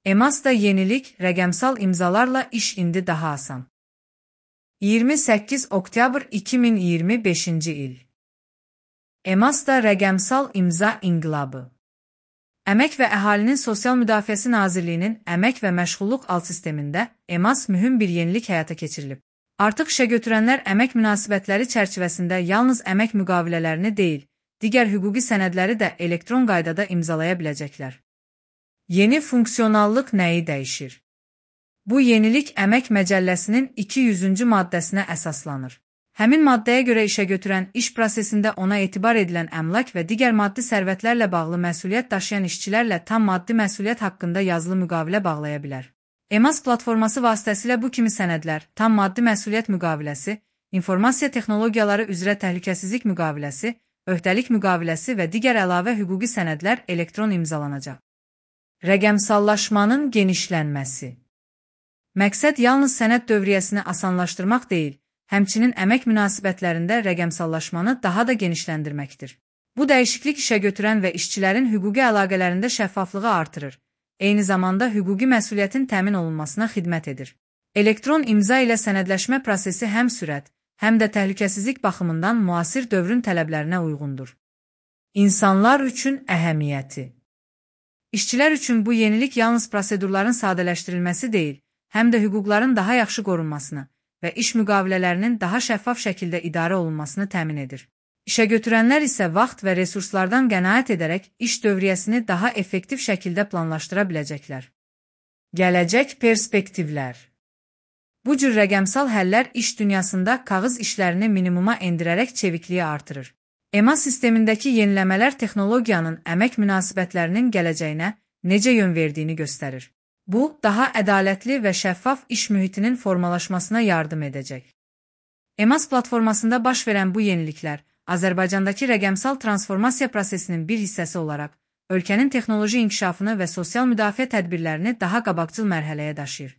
EMAS-da yenilik, rəqəmsal imzalarla iş indi daha asan. 28 oktyabr 2025-ci il. EMAS-da rəqəmsal imza inqilabı. Əmək və Əhalinin Sosial Müdafiəsi Nazirliyinin Əmək və Məşğulluq alt sistemində EMAS mühüm bir yenilik həyata keçirilib. Artıq işəgötürənlər əmək münasibətləri çərçivəsində yalnız əmək müqavilələrini deyil, digər hüquqi sənədləri də elektron qaydada imzalaya biləcəklər. Yeni funksionallıq nəyi dəyişir? Bu yenilik Əmək Məcəlləsinin 200-cü maddəsinə əsaslanır. Həmin maddəyə görə işəgötürən iş prosesində ona etibar edilən əmlak və digər maddi sərvətlərlə bağlı məsuliyyət daşıyan işçilərlə tam maddi məsuliyyət haqqında yazılı müqavilə bağlaya bilər. EMAS platforması vasitəsilə bu kimi sənədlər, tam maddi məsuliyyət müqaviləsi, informasiya texnologiyaları üzrə təhlükəsizlik müqaviləsi, öhdəlik müqaviləsi və digər əlavə hüquqi sənədlər elektron imzalanacaq. Rəqəmsallaşmanın genişlənməsi. Məqsəd yalnız sənəd dövriyyəsini asanlaşdırmaq deyil, həmçinin əmək münasibətlərində rəqəmsallaşmanı daha da genişləndirməkdir. Bu dəyişiklik işəgötürən və işçilərin hüquqi əlaqələrində şəffaflığı artırır, eyni zamanda hüquqi məsuliyyətin təmin olunmasına xidmət edir. Elektron imza ilə sənədləşmə prosesi həm sürət, həm də təhlükəsizlik baxımından müasir dövrün tələblərinə uyğundur. İnsanlar üçün əhəmiyyəti. İşçilər üçün bu yenilik yalnız prosedurların sadələşdirilməsi deyil, həm də hüquqların daha yaxşı qorunmasını və iş müqavilələrinin daha şəffaf şəkildə idarə olunmasını təmin edir. İşəgötürənlər isə vaxt və resurslardan qənaət edərək iş dövriyyəsini daha effektiv şəkildə planlaşdıra biləcəklər. Gələcək perspektivlər. Bu cür rəqəmsal həllər iş dünyasında kağız işlərini minimuma endirərək çevikliyi artırır. EMAS sistemindəki yeniləmələr texnologiyanın əmək münasibətlərinin gələcəyinə necə yön verdiyini göstərir. Bu, daha ədalətli və şəffaf iş mühitinin formalaşmasına yardım edəcək. EMAS platformasında baş verən bu yeniliklər, Azərbaycandakı rəqəmsal transformasiya prosesinin bir hissəsi olaraq, ölkənin texnoloji inkişafını və sosial müdafiə tədbirlərini daha qabaqcıl mərhələyə daşıyır.